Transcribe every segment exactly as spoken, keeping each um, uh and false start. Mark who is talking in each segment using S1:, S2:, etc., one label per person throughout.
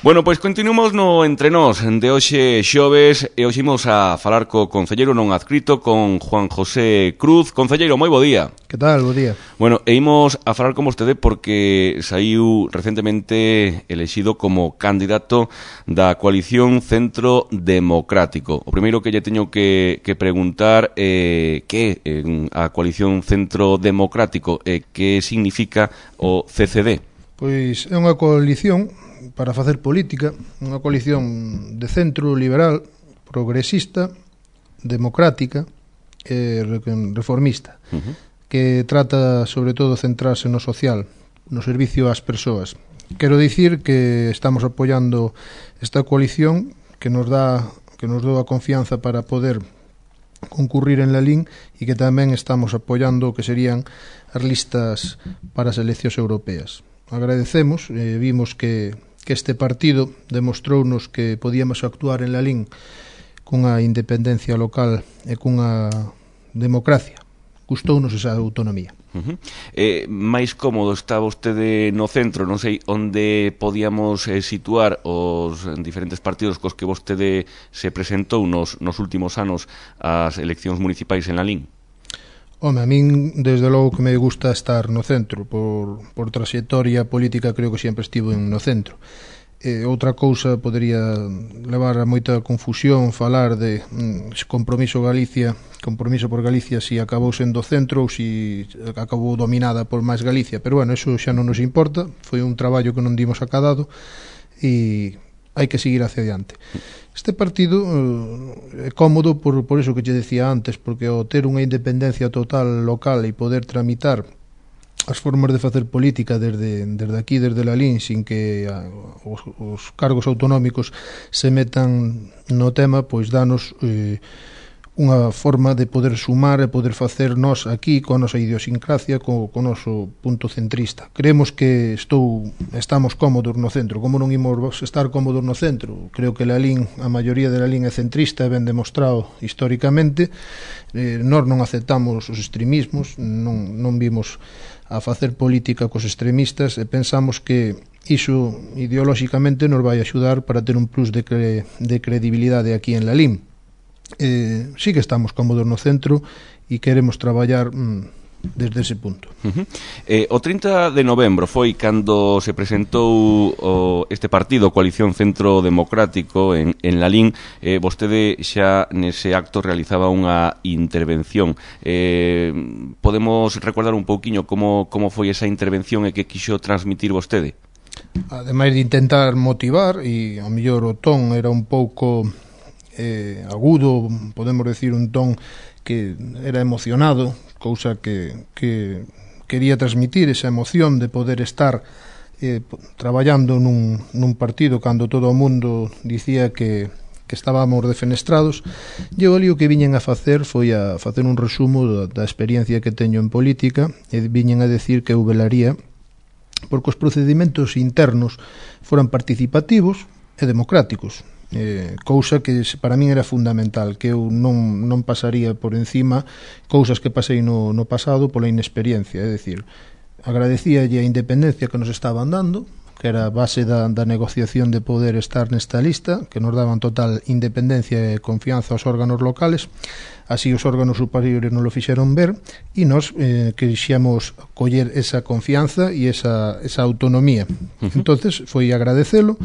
S1: Bueno, pois continuamos no Entre Nós de hoxe xoves e hoxe imos a falar co concelleiro non adscrito, con Juan José Cruz. Concelleiro, moi bo día.
S2: Que tal, bo día.
S1: Bueno, e imos a falar con vostede porque saiu recentemente elexido como candidato da coalición Centro Democrático. O primeiro que lle teño que, que preguntar é eh, que é eh, a coalición Centro Democrático e eh, que significa o C C D.
S2: Pois é unha coalición para facer política, unha coalición de centro liberal, progresista, democrática e reformista, uh-huh. que trata sobre todo centrarse no social, no servicio ás persoas. Quero dicir que estamos apoiando esta coalición que nos dá que nos dou a confianza para poder concurrir en la L I N e que tamén estamos apoiando o que serían as listas para as eleccións europeas. Agradecemos, eh, vimos que que este partido demostrounos que podíamos actuar en la L I N cunha independencia local e cunha democracia. Gustounos esa autonomía.
S1: Uh-huh. Eh, máis cómodo está vostede no centro, non sei onde podíamos eh, situar os diferentes partidos cos que vostede se presentou nos, nos últimos anos ás eleccións municipais en la L I N?
S2: Home, a min, desde logo que me gusta estar no centro, por, por trayectoria política creo que sempre estivo no centro. Eh, outra cousa podería levar a moita confusión falar de mm, compromiso Galicia, compromiso por Galicia si acabou sendo centro ou si acabou dominada por máis Galicia, pero bueno, eso xa non nos importa, foi un traballo que non dimos acadado e hai que seguir hacia adiante. Este partido eh, é cómodo por, por eso que te decía antes, porque ao ter unha independencia total local e poder tramitar as formas de facer política desde, desde aquí, desde la L I N, sin que a, os, os cargos autonómicos se metan no tema, pois danos eh, unha forma de poder sumar e poder facer nós aquí coa nosa idiosincrasia, co, co noso punto centrista. Creemos que estou estamos cómodos no centro. Como non imos estar cómodos no centro? Creo que la L I N, a maioría de la L I N é centrista, é ben demostrado históricamente. Eh, nós non aceptamos os extremismos, non, non vimos a facer política cos extremistas e pensamos que iso ideolóxicamente nos vai axudar para ter un plus de, cre, de credibilidade aquí en la L I N. Eh, sí que estamos cómodos no centro e queremos traballar mm, desde ese punto.
S1: Uh-huh. eh, O trinta de novembro foi cando se presentou o, este partido, Coalición Centro Democrático, en, en la L I N. eh, Vostede xa nese acto realizaba unha intervención. eh, Podemos recordar un pouquiño como, como foi esa intervención e que quixo transmitir vostede?
S2: Ademais de intentar motivar, e ao mellor o ton era un pouco eh, agudo, podemos decir un ton que era emocionado, cousa que, que quería transmitir esa emoción de poder estar eh, traballando nun, nun partido cando todo o mundo dicía que, que estábamos defenestrados. E o lío que viñen a facer foi a facer un resumo da, da experiencia que teño en política e viñen a decir que eu velaría porque os procedimentos internos foran participativos e democráticos. Eh, cousa que para min era fundamental, que eu non, non pasaría por encima cousas que pasei no, no pasado pola inexperiencia, é dicir, agradecíalle a independencia que nos estaban dando, que era a base da, da negociación de poder estar nesta lista, que nos daban total independencia e confianza aos órganos locales, así os órganos superiores non lo fixeron ver, e nos eh, quixemos coller esa confianza e esa, esa autonomía. Uh-huh. Entonces foi agradecelo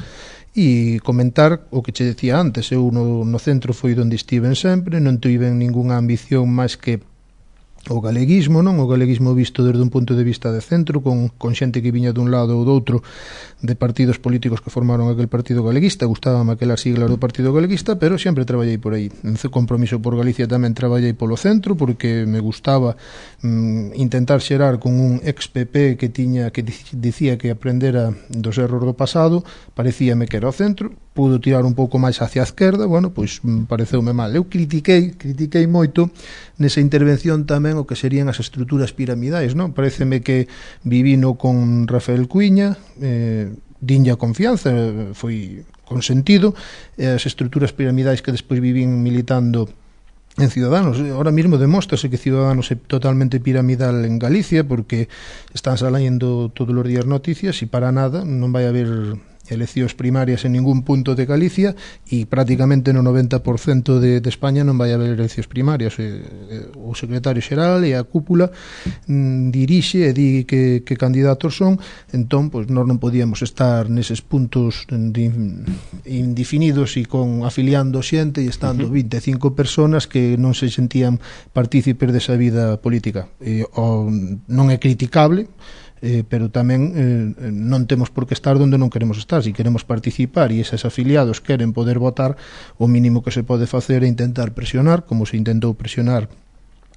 S2: e comentar o que che decía antes. Eu no, no centro foi onde estiven sempre, non tiven ningunha ambición máis que o galeguismo, non? O galeguismo visto desde un punto de vista de centro, con, con xente que viña dun lado ou do outro de partidos políticos que formaron aquel partido galeguista. Gustábame aquela sigla do partido galeguista, pero sempre traballei por aí. En Compromiso por Galicia tamén traballei polo centro, porque me gustaba mm, intentar xerar con un ex P P que tiña que dicía que aprendera dos erros do pasado. Parecíame que era o centro, pudo tirar un pouco máis hacia a esquerda, bueno, pois pareceume mal. Eu critiquei, critiquei moito nesa intervención tamén o que serían as estruturas piramidais, non? Pareceme que vivino con Rafael Cuiña, eh, dinlle a confianza, foi consentido, e as estruturas piramidais que despois vivín militando en Ciudadanos. Ahora mismo demóstrase que Ciudadanos é totalmente piramidal en Galicia, porque están saliendo todos os días noticias e para nada non vai haber eleccións primarias en ningún punto de Galicia e prácticamente no noventa por cento de, de España non vai haber eleccións primarias. O secretario xeral e a cúpula mm, dirixe e di que, que candidatos son, entón pois, nós non podíamos estar neses puntos de, indefinidos e con afiliando xente e estando vinte e cinco personas que non se sentían partícipes desa vida política. E, o, non é criticable, Eh, pero tamén eh, non temos por que estar onde non queremos estar. Si queremos participar e eses afiliados queren poder votar, o mínimo que se pode facer é intentar presionar, como se intentou presionar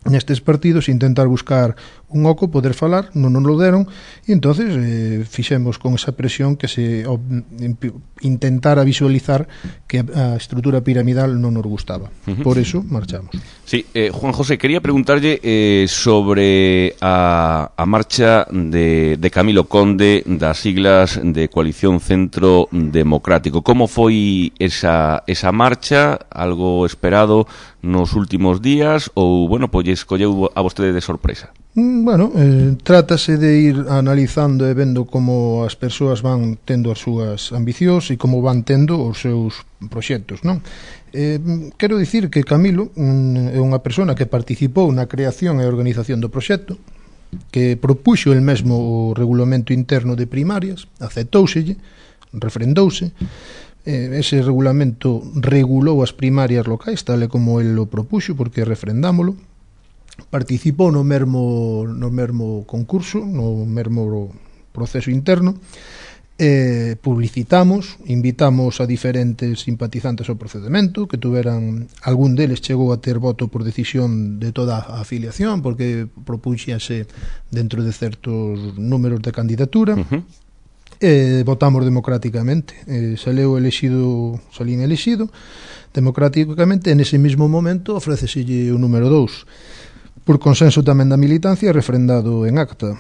S2: nestes partidos, intentar buscar un oco, poder falar, non nos lo deron, e entonces eh, fixemos con esa presión que se o, intentara visualizar que a estrutura piramidal non nos gustaba. Uh-huh. Por eso marchamos.
S1: Sí, eh, Juan José, quería preguntarlle eh, sobre a, a marcha de, de Camilo Conde das siglas de Coalición Centro Democrático. Como foi esa, esa marcha? Algo esperado nos últimos días ou, bueno, pois escolleu a vostede de sorpresa?
S2: Bueno, eh, trátase de ir analizando e vendo como as persoas van tendo as súas ambicións e como van tendo os seus proxectos, non? Eh, quero dicir que Camilo un, é unha persona que participou na creación e organización do proxecto, que propuxo el mesmo o regulamento interno de primarias, aceptóuselle, refrendouse. Eh, ese regulamento regulou as primarias locais tal e como el lo propuxo, porque refrendámolo. Participou no mesmo no mesmo concurso, no mesmo proceso interno. Eh, publicitamos, invitamos a diferentes simpatizantes ao procedemento, que tuveran, algún deles chegou a ter voto por decisión de toda a afiliación, porque propuxase dentro de certos números de candidatura. Uh-huh. Eh, votamos democráticamente, eh, saleu elexido, salín elexido democráticamente. En ese mismo momento ofréceselle o número dous por consenso tamén da militancia, refrendado en acta.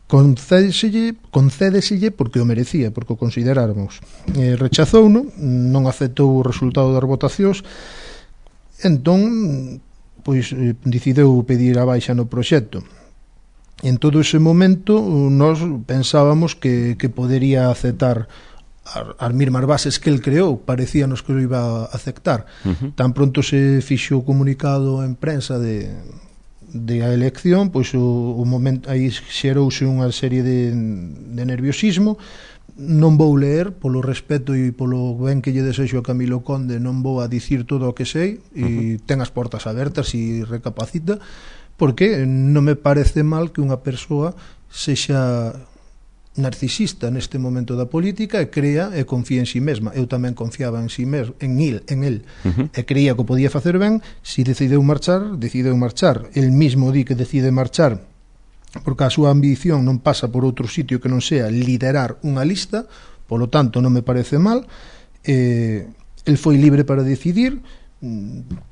S2: Concédeselle, concédeselle porque o merecía, porque o consideráramos. Eh, rechazouno, non aceptou o resultado das votacións, entón pois eh, decideu pedir a baixa no proxecto. En todo ese momento nós pensábamos que, que podería aceptar as mesmas bases que el creou, parecíanos que o iba a aceptar. Uh-huh. Tan pronto se fixo o comunicado en prensa de, de a elección, pois o, o momento aí xerouse unha serie de, de nerviosismo. Non vou ler, polo respeto e polo ben que lle desexo a Camilo Conde, non vou a dicir todo o que sei, e uh-huh. ten as portas abertas e recapacita, porque non me parece mal que unha persoa sexa narcisista neste momento da política e crea e confía en si mesma. Eu tamén confiaba en si mesmo, en il, en el, uh-huh. e creía que o podía facer ben. Si decideu marchar, decideu marchar. El mismo di que decide marchar porque a súa ambición non pasa por outro sitio que non sea liderar unha lista, polo tanto non me parece mal. Eh, el foi libre para decidir.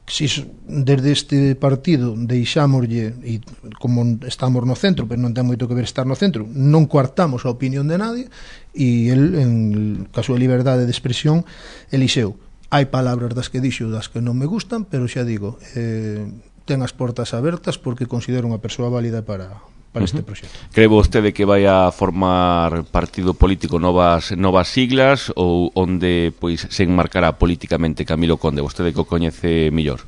S2: Si desde este partido deixámoslle, e como estamos no centro, pero non ten moito que ver estar no centro, non coartamos a opinión de nadie, e el, en ca súa liberdade de expresión, elixeu. Hai palabras das que dixo das que non me gustan, pero xa digo, eh, ten as portas abertas porque considero unha persoa válida para para uh-huh. este proxecto.
S1: Cree vostede que vai a formar partido político novas novas siglas ou onde pois se enmarcará políticamente Camilo Conde? Vostede que o coñece mellor.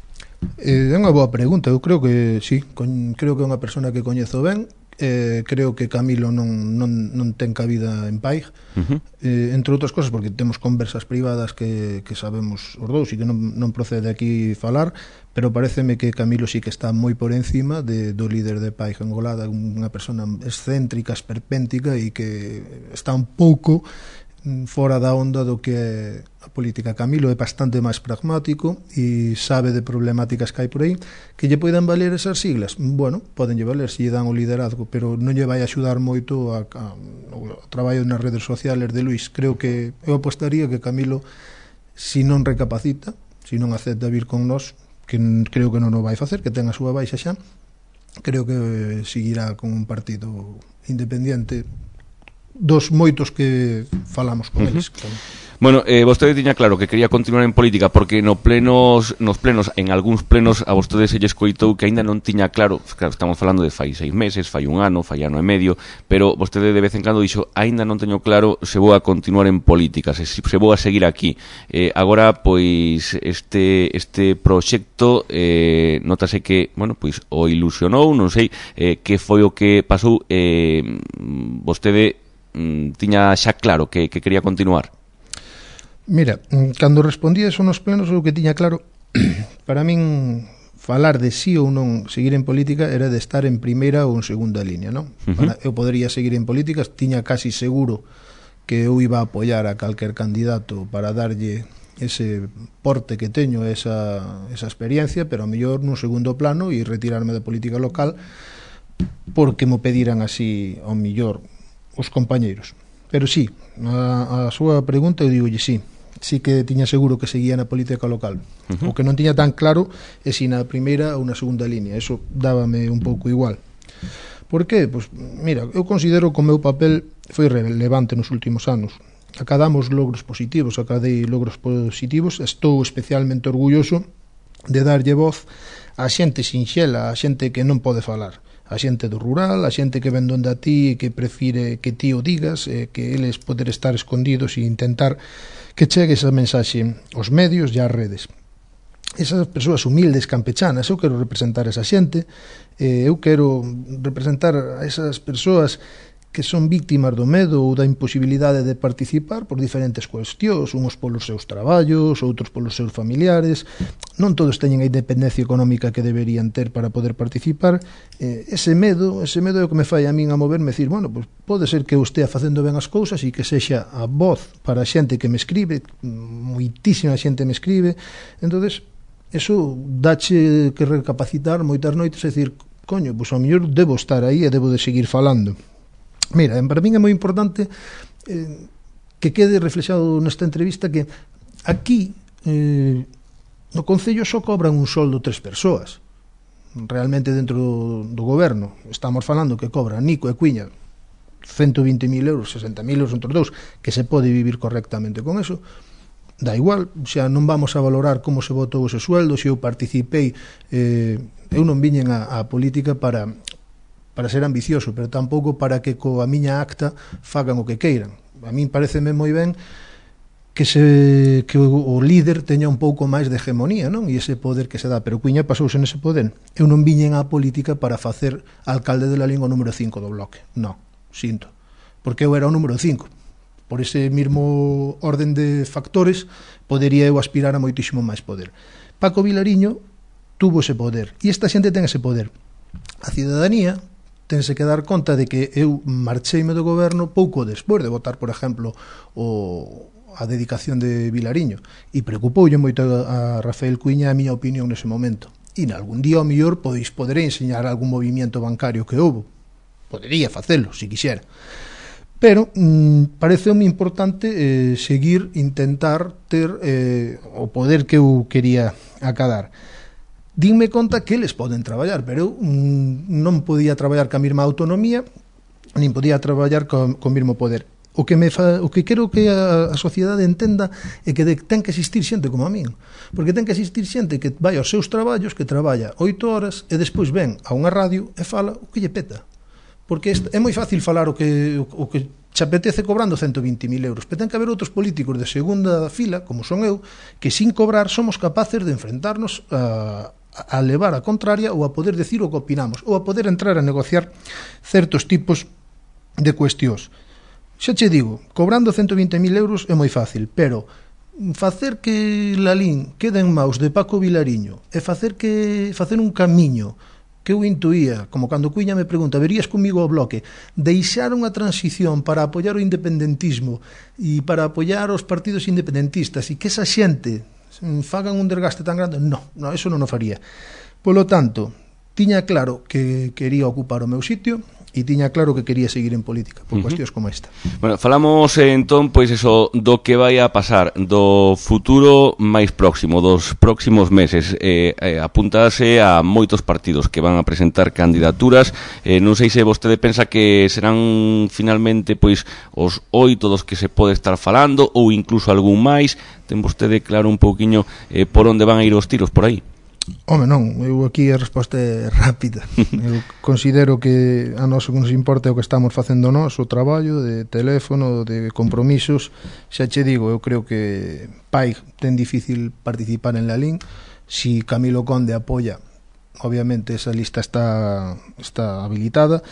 S2: Eh, é unha boa pregunta. Eu creo que sí, con, creo que é unha persona que coñezo ben. Eh, creo que Camilo non, non, non ten cabida en Paig, uh-huh. eh, entre outras cosas porque temos conversas privadas que, que sabemos os dous e que non, non procede aquí falar, pero pareceme que Camilo sí que está moi por encima de, do líder de Paig Engolada, unha persona excéntrica, esperpéntica e que está un pouco fora da onda do que é a política. Camilo é bastante máis pragmático e sabe de problemáticas que hai por aí. Que lle poidan valer esas siglas? Bueno, podenlle valer se lle dan o liderazgo, pero non lle vai axudar moito a, a, o traballo nas redes sociales de Luís. Creo que eu apostaría que Camilo, si non recapacita, si non acepta vir con nós, que creo que non o vai facer, que ten a súa baixa xa, creo que seguirá con un partido independiente dos moitos que falamos con uh-huh. eles.
S1: Bueno, eh, vostede tiña claro que quería continuar en política porque no plenos, nos plenos, en algúns plenos a vostede se lle escoitou que aínda non tiña claro, claro, estamos falando de fai seis meses, fai un ano, fai ano e medio, pero vostede de vez en cando dixo, aínda non teño claro se vou a continuar en política, se, se vou a seguir aquí. Eh, agora, pois, este este proxecto eh, notase que, bueno, pois, o ilusionou, non sei eh, que foi o que pasou, eh, vostede mm, tiña xa claro que, que quería continuar.
S2: Mira, cando respondía eso nos plenos, o que tiña claro, para min falar de sí ou non seguir en política era de estar en primeira ou en segunda línea, non? Uh-huh. Para, eu podería seguir en política, tiña casi seguro que eu iba a apoiar a calquer candidato para darlle ese porte que teño, esa, esa experiencia, pero a mellor nun segundo plano e retirarme da política local porque mo pediran así ao mellor os compañeiros. Pero sí, a, a súa pregunta eu digolle sí. Sí que tiña seguro que seguía na política local. Uh-huh. O que non tiña tan claro é si na primeira ou na segunda línea. Eso dábame un pouco igual. Por qué? Pois, mira, eu considero que o meu papel foi relevante nos últimos anos. Acadamos logros positivos, acadei logros positivos. Estou especialmente orgulloso de darlle voz a xente sinxela, a xente que non pode falar. A xente do rural, a xente que ven donde a ti e que prefire que ti o digas, eh, que eles poder estar escondidos e intentar que chegue esa mensaxe aos medios e ás redes. Esas persoas humildes, campechanas, eu quero representar esa xente, eh, eu quero representar a esas persoas que son víctimas do medo ou da imposibilidade de participar por diferentes cuestións, uns polos seus traballos, outros polos seus familiares. Non todos teñen a independencia económica que deberían ter para poder participar. Eh, ese medo, ese medo é o que me fai a min a moverme, decir, bueno, pues pode ser que eu estea facendo ben as cousas e que sexa a voz para a xente que me escribe, moitísima xente me escribe. Entonces, eso dache que recapacitar moitas noites e decir, coño, pois ao mellor debo estar aí e debo de seguir falando. Mira, para min é moi importante eh, que quede reflexado nesta entrevista que aquí eh, no Concello só cobran un soldo tres persoas. Realmente dentro do, do goberno estamos falando que cobran Nico e Cuiña ciento vinte mil euros, sesenta mil euros entre os dous, que se pode vivir correctamente con eso. Da igual, xa non vamos a valorar como se votou ese sueldo, se eu participei, eh, eu non viñen a, a política para... para ser ambicioso, pero tampouco para que coa miña acta fagan o que queiran. A min pareceme moi ben que se que o, o líder teña un pouco máis de hegemonía, non? E ese poder que se dá, pero Cuiña pasouse nese poder. Eu non viñen á política para facer alcalde de Lalín o número cinco do bloque. Non, sinto. Porque eu era o número cinco. Por ese mesmo orden de factores podería eu aspirar a moitísimo máis poder. Paco Vilariño tuvo ese poder, e esta xente ten ese poder. A cidadanía tense que dar conta de que eu marcheime do goberno pouco despois de votar, por exemplo, o, a dedicación de Vilariño, e preocupoulle moito a, a Rafael Cuiña a miña opinión nese momento. E nalgún día, ao mellor, pois poderei enseñar algún movimento bancario que houbo. Podería facelo, se quixera. Pero mmm, pareceume importante eh, seguir, intentar ter eh, o poder que eu quería acadar. Dinme conta que eles poden traballar, pero eu mm, non podía traballar ca mesma autonomía, nin podía traballar co, co mesmo poder. O que me fa, o que quero que a, a sociedade entenda é que de, ten que existir xente como a min, porque ten que existir xente que vai aos seus traballos, que traballa oito horas e despois ven a unha radio e fala o que lle peta. Porque é moi fácil falar o que o, o que che apetece cobrando ciento vinte mil euros, pero ten que haber outros políticos de segunda fila, como son eu, que sin cobrar somos capaces de enfrentarnos a a levar a contraria ou a poder decir o que opinamos ou a poder entrar a negociar certos tipos de cuestións. Xa che digo, cobrando ciento vinte mil euros é moi fácil, pero facer que Lalín quede en maus de Paco Vilariño e facer que facer un camiño que eu intuía, como cando Cuiña me pregunta, verías comigo o bloque, deixar unha transición para apoiar o independentismo e para apoiar os partidos independentistas e que esa xente fagan un desgaste tan grande, no, no, eso non o faría. Polo tanto, tiña claro que quería ocupar o meu sitio, e tiña claro que quería seguir en política por uh -huh. cuestións como esta.
S1: Bueno, falamos eh, entón pois eso do que vai a pasar, do futuro máis próximo, dos próximos meses. Eh, eh, apuntase a moitos partidos que van a presentar candidaturas. Eh, non sei se vostede pensa que serán finalmente pois os oito dos que se pode estar falando ou incluso algún máis. Ten vostede claro un pouquiño eh, por onde van a ir os tiros por aí?
S2: Home, non, eu aquí a resposta é rápida. Eu considero que a nós o que nos importa é o que estamos facendo nós, o traballo de teléfono, de compromisos. Xa che digo, eu creo que Pai ten difícil participar en la L I N. Si Camilo Conde apoia, obviamente esa lista está está habilitada.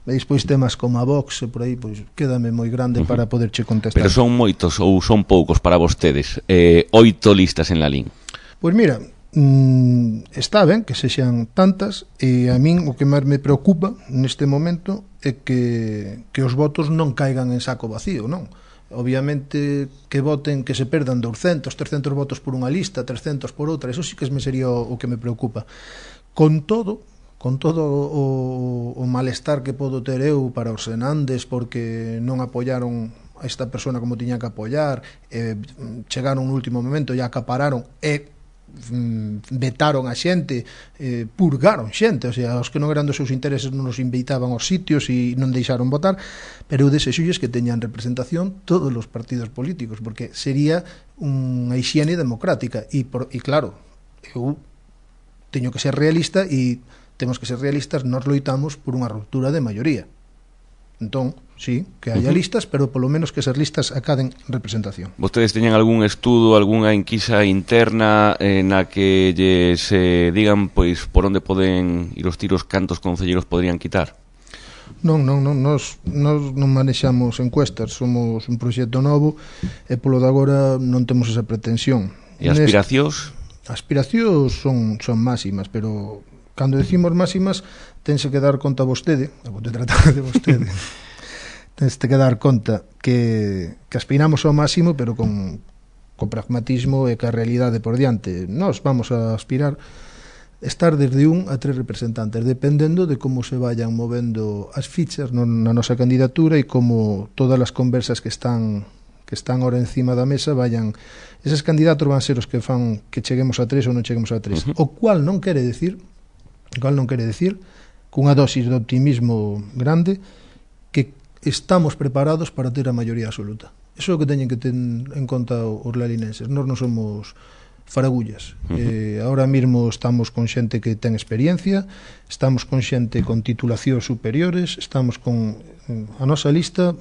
S2: E despois temas como a Vox e por aí, pois quédame moi grande uh -huh. para poderche contestar.
S1: Pero son moitos ou son poucos para vostedes? Eh, oito listas en la L I N.
S2: Pois mira, Mm, está ben que sexan tantas, e a min o que máis me preocupa neste momento é que, que os votos non caigan en saco vacío, non? Obviamente que voten, que se perdan doscientos, trescientos votos por unha lista, trescientos por outra, eso sí que me sería o, o que me preocupa. Con todo, con todo o, o malestar que podo ter eu para os senandes porque non apoyaron a esta persona como tiña que apoyar, eh, chegaron no último momento e acapararon e vetaron a xente, eh, purgaron xente, o sea, os que non eran dos seus intereses non nos invitaban aos sitios e non deixaron votar, pero eu desexolles que teñan representación todos os partidos políticos, porque sería unha hixiene democrática e, por, e claro, eu teño que ser realista e temos que ser realistas, nós loitamos por unha ruptura de maioría. Entón, sí, que haya uh -huh. listas, pero polo menos que esas listas acaden representación.
S1: Vostedes teñen algún estudo, algunha enquisa interna eh, na que lles eh, digan pois por onde poden ir os tiros, cantos concelleiros poderían quitar?
S2: Non, non, non, nós, nós non manexamos encuestas, somos un proxecto novo e polo de agora non temos esa pretensión.
S1: E aspiracións?
S2: Aspiracións son, son máximas, pero cando decimos máximas tense que dar conta vostede, vou tratar de vostede, tense que dar conta que, que aspiramos ao máximo, pero con, con pragmatismo e que a realidade por diante. Nós vamos a aspirar estar desde un a tres representantes, dependendo de como se vayan movendo as fichas no, na nosa candidatura e como todas as conversas que están que están ahora encima da mesa vayan, eses candidatos van ser os que fan que cheguemos a tres ou non cheguemos a tres, uh -huh. o cual non quere decir o cual non quere decir cunha dosis de optimismo grande que estamos preparados para ter a maioría absoluta. Iso é o que teñen que ter en conta os lalinenses. Nós non somos faragullas. Uh -huh. eh, ahora mesmo estamos con xente que ten experiencia, estamos con xente con titulacións superiores, estamos con a nosa lista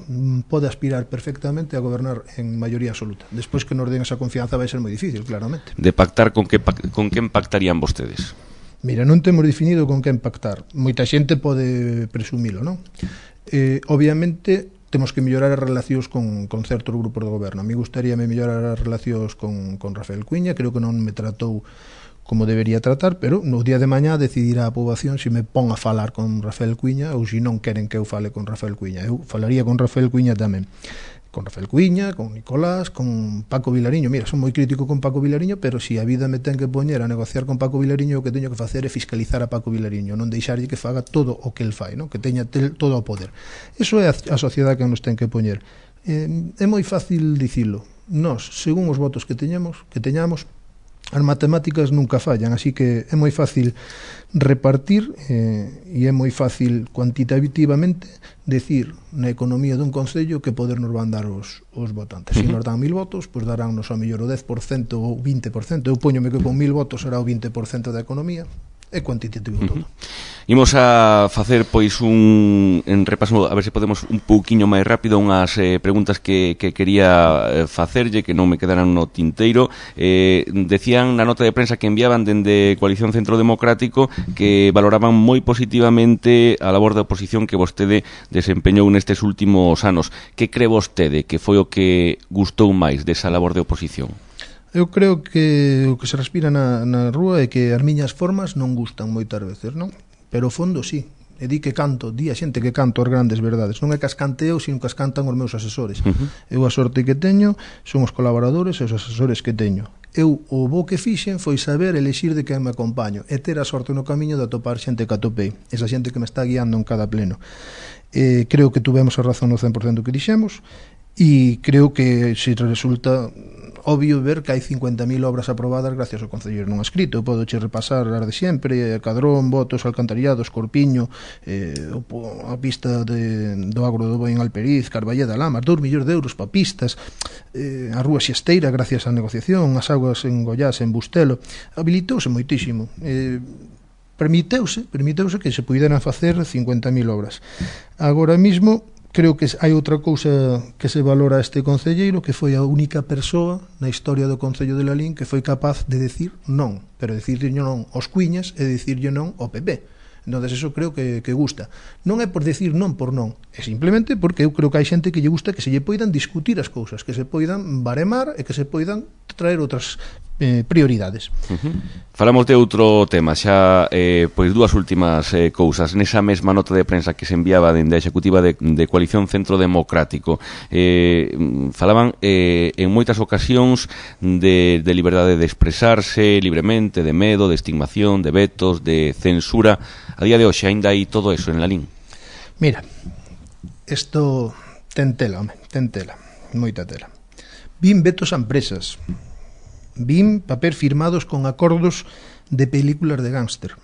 S2: pode aspirar perfectamente a gobernar en maioría absoluta. Despois que nos den esa confianza vai ser moi difícil, claramente.
S1: De pactar con que con quen pactarían vostedes?
S2: Mira, non temos definido con quen pactar. Moita xente pode presumilo, non? Eh, obviamente temos que mellorar as relacións con, con certos grupos de goberno. A mí gustaríame mellorar as relacións con, con Rafael Cuiña, creo que non me tratou como debería tratar, pero no día de mañá decidirá a poboación se me pon a falar con Rafael Cuiña ou se non queren que eu fale con Rafael Cuiña. Eu falaría con Rafael Cuiña tamén. Con Rafael Cuiña, con Nicolás, con Paco Vilariño. Mira, son moi crítico con Paco Vilariño, pero se si a vida me ten que poñer a negociar con Paco Vilariño, o que teño que facer é fiscalizar a Paco Vilariño, non deixarlle que faga todo o que el fai, non? Que teña tel, todo o poder. Eso é a, a sociedade que nos ten que poñer. Eh, é moi fácil dicilo. Nós, según os votos que teñamos, que teñamos, as matemáticas nunca fallan, así que é moi fácil repartir eh, e é moi fácil cuantitativamente decir na economía dun concello que poder nos van dar os, os votantes. Se nos dan mil votos, pois daránnos a mellor o dez por cento ou vinte por cento. Eu poñome que con mil votos será o vinte por cento da economía. É cuantitativo todo.
S1: Imos a facer pois un en repaso, a ver se podemos un pouquiño máis rápido unhas eh, preguntas que, que quería facerlle que non me quedaran no tinteiro. Eh, decían na nota de prensa que enviaban dende Coalición Centro Democrático que valoraban moi positivamente a labor de oposición que vostede desempeñou nestes últimos anos. Que cree vostede que foi o que gustou máis desa labor de oposición?
S2: Eu creo que o que se respira na, na rúa é que as miñas formas non gustan moitas veces, non? Pero o fondo sí. E di que canto, di a xente que canto as grandes verdades. Non é que as cante eu, sino que as cantan os meus asesores. Uh -huh. Eu a sorte que teño son os colaboradores e os asesores que teño. Eu o bo que fixen foi saber elexir de quen me acompaño e ter a sorte no camiño de atopar xente que atopei, esa xente que me está guiando en cada pleno. Eh, creo que tuvemos a razón no cen por cento que dixemos e creo que se resulta obvio ver que hai cincuenta mil obras aprobadas gracias ao Concelleiro non escrito. Eu podo che repasar as de sempre: Cadrón, Botos, Alcantarillados, Corpiño, eh, a pista de, do Agro do Boi en Alperiz, Carballeda, Lamas, dous millóns de euros para pistas, eh, a Rúa Xesteira gracias á negociación, as augas en Goiás, en Bustelo, habilitouse moitísimo. Eh, permiteuse, permiteuse que se puderan facer cincuenta mil obras. Agora mismo creo que hai outra cousa que se valora a este concelleiro, que foi a única persoa na historia do Concello de Lalín que foi capaz de decir non, pero decirlle non aos Cuiñas e decirlle non ao P P. Entón, eso creo que, que gusta. Non é por decir non por non, é simplemente porque eu creo que hai xente que lle gusta que se lle poidan discutir as cousas, que se poidan baremar e que se poidan traer outras eh, prioridades.
S1: Uh-huh. Falamos de outro tema, xa eh, pois dúas últimas eh, cousas. Nesa mesma nota de prensa que se enviaba dende a Executiva de, de Coalición Centro Democrático, eh, falaban eh, en moitas ocasións de, de liberdade de expresarse libremente, de medo, de estigmación, de vetos, de censura. A día de hoxe ainda hai todo eso en Lalín?
S2: Mira, isto ten tela, home, ten tela, moita tela. Vin vetos a empresas, vin papel firmados con acordos de películas de gángster,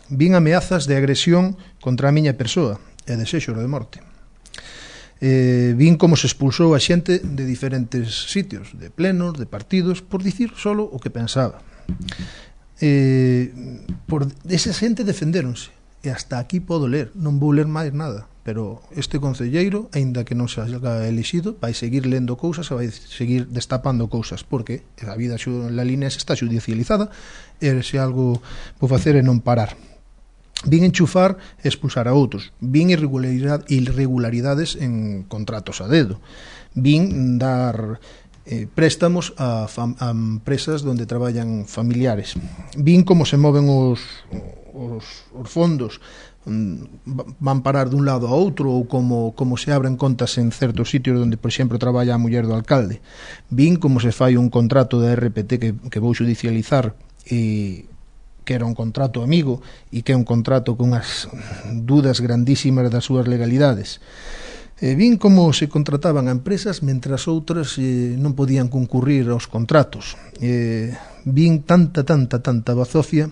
S2: vin ameazas de agresión contra a miña persoa e desexos de morte. Eh, vin como se expulsou a xente de diferentes sitios, de plenos, de partidos, por dicir solo o que pensaba. Eh, por esa xente defendéronse e hasta aquí podo ler, non vou ler máis nada, pero este concelleiro, aínda que non se haga elixido, vai seguir lendo cousas e vai seguir destapando cousas, porque a vida en la línea está judicializada e se algo vou facer é non parar. Vin enchufar e expulsar a outros, vin irregularidades en contratos a dedo, vin dar Eh, préstamos a, fam, a empresas donde traballan familiares, vin como se moven os, os, os fondos, van parar dun lado a outro, ou como, como se abren contas en certos sitios onde, por exemplo, traballa a muller do alcalde. Vin como se fai un contrato da R P T que, que vou judicializar e que era un contrato amigo e que é un contrato con as dudas grandísimas das súas legalidades. Eh, vin como se contrataban a empresas mentras outras eh, non podían concurrir aos contratos. Eh, vin tanta, tanta, tanta bazofia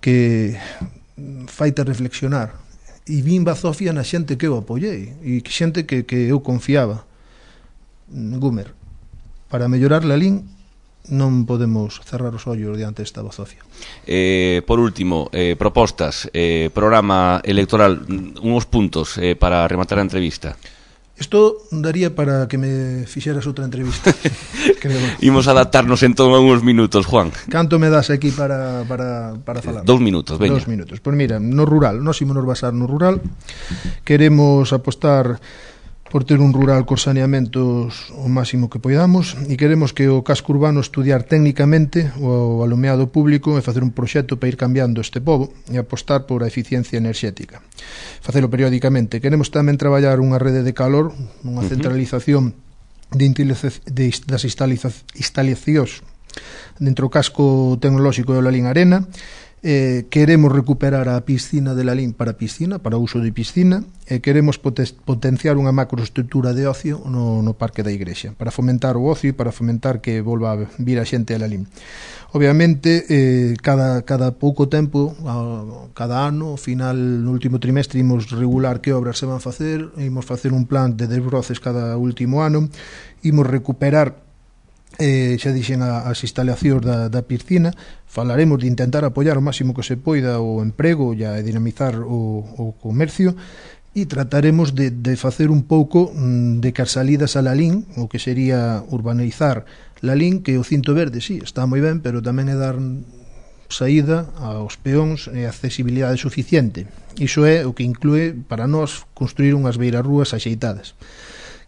S2: que faite reflexionar. E vin bazofia na xente que eu apoiei e xente que, que eu confiaba. Gumer, para mellorar Lalín non podemos cerrar os ollos diante desta bazofia.
S1: Eh, por último, eh, propostas, eh, programa electoral, unos puntos eh, para rematar a entrevista.
S2: Isto daría para que me fixeras outra entrevista.
S1: Imos adaptarnos entón a uns minutos, Juan.
S2: Canto me das aquí para, para, para falar?
S1: Eh, dous minutos, veña.
S2: Dous minutos. Pois mira, no rural, nós imos nos basar no rural. Queremos apostar por ter un rural cos saneamentos o máximo que poidamos e queremos que o casco urbano estudiar técnicamente o alumeado público e facer un proxecto para ir cambiando este pobo e apostar por a eficiencia enerxética. Facelo periódicamente. Queremos tamén traballar unha rede de calor, unha centralización de de, das instalacións dentro do casco tecnolóxico de Lalín Arena. Eh, queremos recuperar a piscina de Lalín para piscina, para uso de piscina, e queremos potenciar unha macroestructura de ocio no, no Parque da Igrexa, para fomentar o ocio e para fomentar que volva a vir a xente a Lalín. Obviamente, eh, cada, cada pouco tempo, a, cada ano, ao final, no último trimestre, imos regular que obras se van facer, imos facer un plan de desbroces cada último ano, imos recuperar Eh, xa dixen a, as instalacións da, da piscina. Falaremos de intentar apoiar o máximo que se poida o emprego e a dinamizar o, o comercio e trataremos de, de facer un pouco de que as salidas a Lalín, o que sería urbanizar Lalín, que o cinto verde, sí, está moi ben, pero tamén é dar saída aos peóns e accesibilidade suficiente. Iso é o que inclúe para nós construir unhas beirarrúas axeitadas.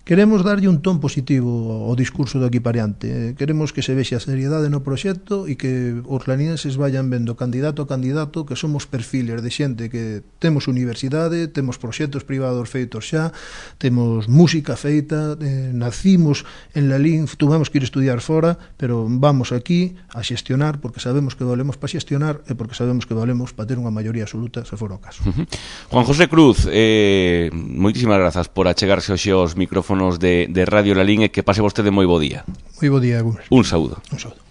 S2: queremos darlle un ton positivo ao discurso do equipariante. Queremos que se vexe a seriedade no proxecto e que os lanienses vayan vendo candidato a candidato que somos perfiles de xente que temos universidade, temos proxectos privados feitos xa, temos música feita, eh, nacimos en Lalín, tuvemos que ir estudiar fora, pero vamos aquí a xestionar porque sabemos que valemos para xestionar e porque sabemos que valemos para ter unha maioría absoluta se for o caso.
S1: Uh -huh. Juan José Cruz, eh, moitísimas grazas por achegarse hoxe aos micrófonos de, de Radio Lalín e que pase vostede moi bo día.
S2: Moi bo día, Gus.
S1: Un saúdo.
S2: Un saúdo.